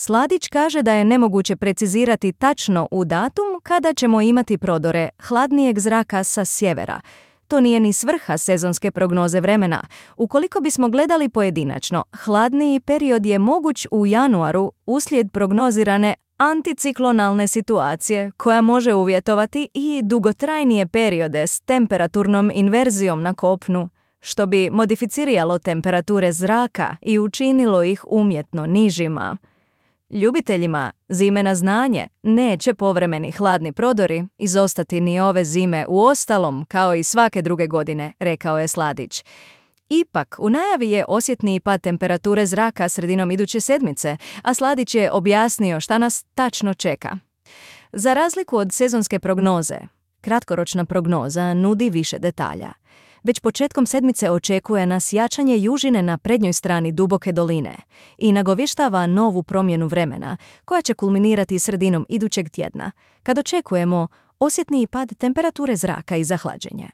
Sladić kaže da je nemoguće precizirati tačno u datum kada ćemo imati prodore hladnijeg zraka sa sjevera. To nije ni svrha sezonske prognoze vremena. Ukoliko bismo gledali pojedinačno, hladniji period je moguć u januaru uslijed prognozirane anticiklonalne situacije koja može uvjetovati i dugotrajnije periode s temperaturnom inverzijom na kopnu, što bi modificiralo temperature zraka i učinilo ih umjetno nižima. Ljubiteljima zime na znanje neće povremeni hladni prodori izostati ni ove zime uostalom kao i svake druge godine, rekao je Sladić. Ipak, u najavi je osjetniji pad temperature zraka sredinom iduće sedmice, a Sladić je objasnio šta nas tačno čeka. Za razliku od sezonske prognoze, kratkoročna prognoza nudi više detalja. Već početkom sedmice očekuje nas jačanje južine na prednjoj strani duboke doline i nagovještava novu promjenu vremena koja će kulminirati sredinom idućeg tjedna, kad očekujemo osjetniji pad temperature zraka i zahlađenje.